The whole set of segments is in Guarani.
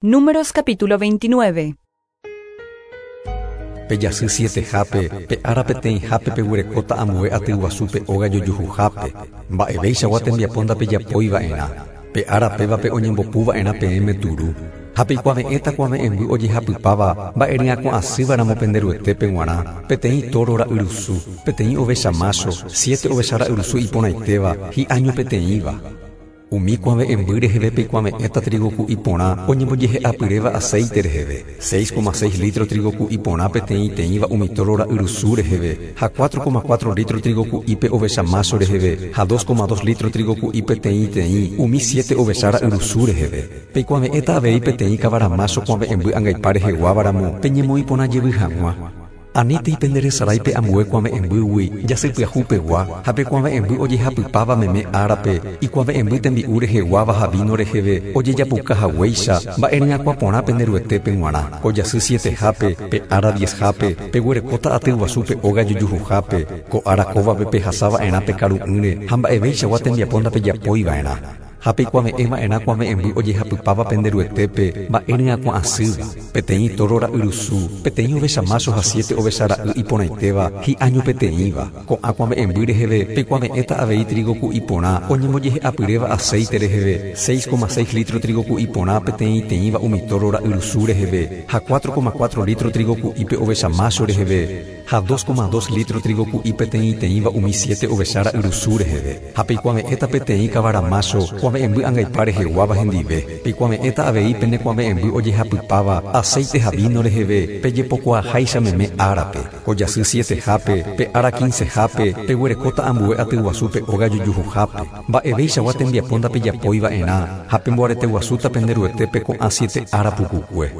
Números capítulo 29. Pe jasy sietehápe, pe ára peteĩhápe peguerekóta ambue aty guasu pe óga jojuhuhápe. Mba'evéichagua tembiapo ndapejapói va'erã. Pe ára pévape oñembopu va'erã peẽme turu. Ha peikuave'ẽta kuave'ẽmby ojehapypáva mba'e ryakuã asýva ramo pende Ruetépe g̃uarã, peteĩ tóro ra'yrusu, peteĩ ovecha mácho, siete ovecha ra'yrusu iporãitéva, hi'año peteĩva. Umi kuave'ẽmby reheve peikuave'ẽta trígo ku'i porã oñembojehe'apyréva aséite reheve, 6,6 lítro trígo ku'i porã peteĩteĩva umi tóro ra'yrusu reheve, ha 4,4 lítro trígo ku'i pe ovecha mácho reheve, ha 2,2 lítro trígo ku'i peteĩteĩ umi siete ovecha ra'yrusu reheve. Peikuave'ẽta avei peteĩ kavara mácho kuave'ẽmby angaipa reheguáva ramo peñemoĩ porã jevy hag̃ua. Anítei pende resarái pe ambue kuave'ẽmbýgui jasy pyahu pegua, ha pe kuave'ẽmby ojehapypáva meme árape, ikuave'ẽmby tembi'u reheguáva ha víno reheve ojejapuka haguéicha, mba'e ryakuã porã pende Ruetépe g̃uarã. Ko jasy sietehápe, pe ára diezhápe, peguerekóta aty guasu pe óga jojuhuhápe, ko ára kóvape pehasa va'erã pekaru'ỹre ha mba'evéichagua tembiapo ndapejapói va'erã. Ha peikuave'ẽ va'erã kuave'ẽmby ojehapypáva pende Ruetépe mba'e ryakuã asýva, peteĩ tóro ra'yrusu, peteĩ ovecha mácho ha siete ovecha ra'y iporãitéva, hi'año peteĩva. Ko'ã kuave'ẽmby reheve peikuave'ẽta avei trígo ku'i porã oñembojehe'apyréva aséite reheve, 6,6 lítro trígo ku'i porã peteĩteĩva umi tóro ra'yrusu reheve, ha 4,4 lítro trígo ku'i pe ovecha mácho reheve. Ha 2,2 lítro trígo ku'i peteĩteĩva umi siete ovecha ra'yrusu reheve. Ha peikuave'ẽta peteĩ kavara mácho kuave'ẽmby angaipa reheguáva hendive. Peikuave'ẽta avei pene kuave'ẽmby ojehapypáva aséite ha víno reheve pejepokuaaháicha meme árape. Ko jasy sietehápe, pe ára quincehápe, peguerekóta ambue atyguasu pe óga jojuhuhápe. Mba'evéichagua tembiapo ndapejapói va'erã ha pemboareteguasúta pende Ruetépe ko'ã siete ára pukukue.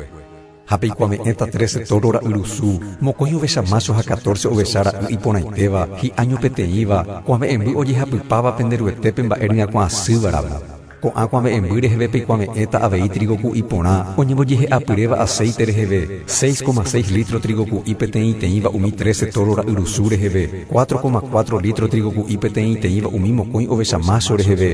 Ha peikuave'ẽta trece tóro ra'yrusu, mokõi ovecha mácho ha catorce ovecha ra'y iporãitéva, hi'año peteĩva, kuave'ẽmby ojehapypáva pende Ruetépe mba'e ryakuã asýva ramo. Ko'ã kuave'ẽmby reheve peikuave'ẽta avei trígo ku'i porã oñembojehe'apyréva aséite reheve, 6,6 lítro trígo ku'i peteĩteĩva umi trece tóro ra'yrusu reheve, 4,4 lítro trígo ku'i peteĩteĩva umi mokõi ovecha mácho reheve,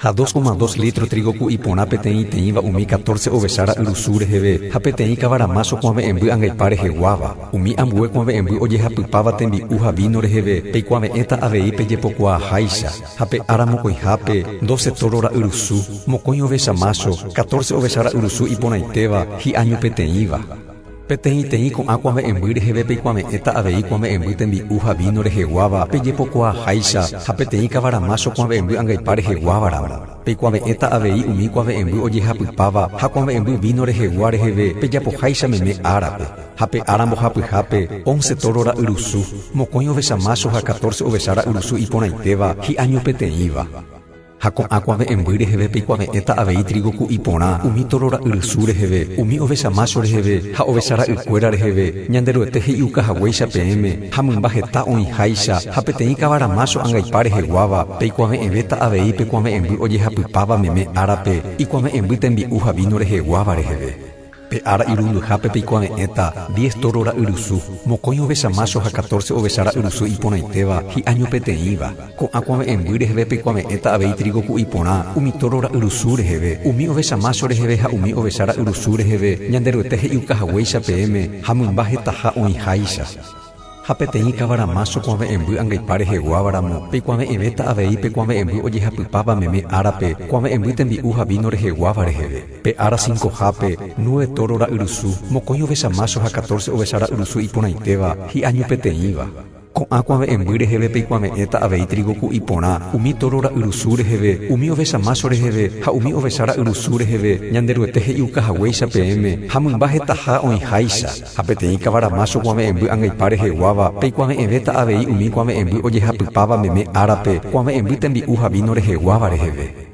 Ha 2,2 lítro trígo ku'i porã peteĩteĩva umi catorce ovecha ra'yrusu reheve ha peteĩ kavara mácho kuave'ẽmby angaipa reheguáva. Umi ambue kuave'ẽmby ojehapypáva tembi'u ha víno reheve peikuave'ẽta avei pejepokuaaháicha. Ha pe ára mokõihápe, doce tóro ra'yrusu, mokõi ovecha mácho, catorce ovecha ra'yrusu iporãitéva, hi'año peteĩva. Peteĩteĩ ko'ã kuave'ẽmby reheve peikuave'ẽta avei kuave'ẽmby tembi'u ha víno reheguáva pejepokuaaháicha ha peteĩ kavara mácho kuave'ẽmby angaipa reheguáva ramo. Peikuave'ẽta avei umi kuave'ẽmby ojehapypáva ha kuave'ẽmby víno rehegua reheve pejapoháicha meme árape. Ha pe ára mbohapyhápe, once tóro ra'yrusu, mokõi ovecha mácho ha catorce ovecha ra'yrusu iporãitéva, hi'año peteĩva. Ha ko'ã kuave'ẽmby reheve peikuave'ẽta avei trígo ku'i porã, umi tóro ra'yrusu reheve, umi ovecha mácho reheve ha ovecha ra'ykuéra reheve, Ñanderuete he'iuka haguéicha peẽme, ha mymba heta oĩháicha, ha peteĩ kavara mácho angaipa reheguáva, peikuave'ẽvéta avei pe kuave'ẽmby ojehapypáva meme árape, ikuave'ẽmby tembi'u ha víno reheguáva reheve. Pe ára irundyhápe peikuave'ẽta diez tóro ra'yrusu, mokõi ovecha mácho ha catorce ovecha ra'yrusu iporãitéva, hi'año peteĩva. Ko'ã kuave'ẽmby reheve peikuave'ẽta avei trígo ku'i porã, umi tóro ra'yrusu reheve, umi ovecha mácho reheve ha umi ovecha ra'yrusu reheve, Ñanderuete he'iuka haguéicha peẽme ha mymba hetaha oĩháicha. Ha peteĩ kavara mácho kuave'ẽmby angaipa reheguáva ramo, peikuave'ẽvéta avei pe kuave'ẽmby ojehapypáva meme árape, kuave'ẽmby tembi'u ha víno reheguáva reheve. Pe ára cincohápe, nueve tóro ra'yrusu, mokõi ovecha mácho ha catorce ovecha ra'yrusu iporãitéva, hi'año peteĩva. Ko'ã kuave'ẽmby reheve peikuave'ẽta avei trígo ku'i porã, umi tóro ra'yrusu reheve, umi ovecha mácho reheve ha umi ovecha ra'yrusu reheve, Ñanderuete he'iuka haguéicha peẽme, ha mymba hetaha oĩháicha. Ha peteĩ kavara mácho kuave'ẽmby angaipa reheguáva, peikuave'ẽvéta avei umi kuave'ẽmby ojehapypáva meme árape, kuave'ẽmby tembi'u ha víno reheguáva reheve.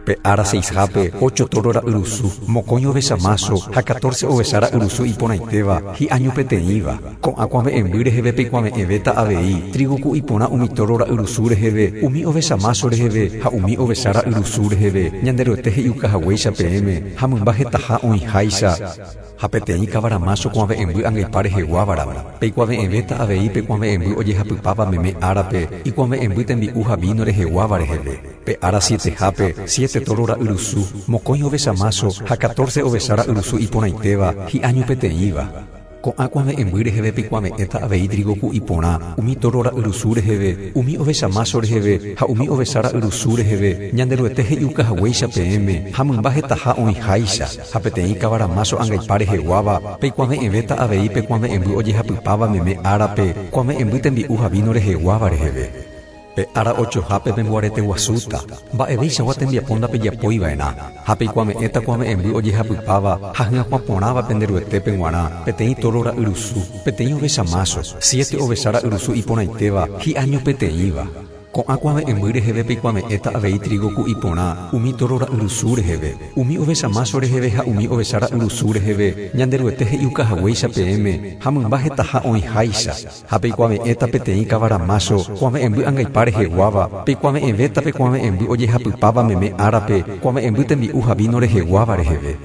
Pe ára seishápe, ocho tóro ra'yrusu, mokõi ovecha mácho ha catorce ovecha ra'yrusu iporãitéva, hi'año peteĩva. Ko'ã kuave'ẽmby reheve peikuave'ẽvéta avei, trígo ku'i porã umi tóro ra'yrusu reheve, umi ovecha mácho reheve ha umi ovecha ra'yrusu reheve, Ñanderuete he'iuka haguéicha peẽme, ha mymba hetaha oĩháicha. Ha peteĩ kavara mácho kuave'ẽmby angaipa reheguáva ramo, peikuave'ẽvéta avei pe kuave'ẽmby ojehapypáva meme árape, ikuave'ẽmby tembi'u ha víno reheguáva reheve. Pe ára sietehápe, siete tóro ra'yrusu, mokõi ovecha mácho ha catorce ovecha ra'yrusu iporãitéva, hi'año peteĩva. Ko'ã kuave'ẽmby reheve peikuave'ẽta avei trígo ku'i porã, umi tóro ra'yrusu reheve, umi ovecha mácho reheve ha umi ovecha ra'yrusu reheve, Ñanderuete he'iuka haguéicha peẽme, ha mymba hetaha oĩháicha, ha peteĩ kavara mácho angaipa reheguáva, peikuave'ẽvéta avei pe kuave'ẽmby ojehapypáva meme árape, kuave'ẽmby tembi'u ha víno reheguáva reheve. Pe ára ochohápe pemboarete guasúta, mba'eveichagua tembiapo ndapejapói va'erã, ha peikuave'ẽta kuave'ẽmby ojehapypáva ha hyakuã porãva pende Ruetépe g̃uarã, peteĩ tóro ra'yrusu, peteĩ ovecha mácho, siete ovecha ra'yrusu iporãitéva, hi'año peteĩva. Ko'ã kuave'ẽmby reheve peikuave'ẽta avei trígo ku'i porã, umi tóro ra'yrusu reheve, umi ovecha mácho reheve ha umi ovecha ra'yrusu reheve, Ñanderuete he'iuka haguéicha peẽme, ha mymba hetaha oĩháicha. Ha peikuave'ẽta peteĩ kavara mácho kuave'ẽmby angaipa reheguáva, peikuave'ẽvéta pe kuave'ẽmby ojehapypáva meme árape, kuave'ẽmby tembi'u ha víno reheguáva reheve.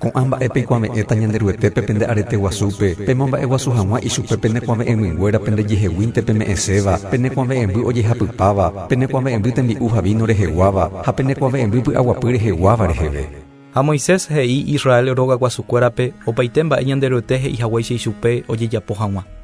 Ko'ã mba'e peikuave'ẽta Ñanderuetépe pende arete guasúpe, pemomba'eguasu hag̃ua ichupe pene kuave'ẽmynguéra pendejeheguínte peme'ẽséva, pene kuave'ẽmby ojehapypáva, pene kuave'ẽmby tembi'u ha víno reheguáva, ha pene kuave'ẽmby py'aguapy reheguáva reheve. Ha Moisés he'i Israel rogaguasukuérape opaite mba'e Ñanderuete he'i haguéicha ichupe ojejapo hag̃ua.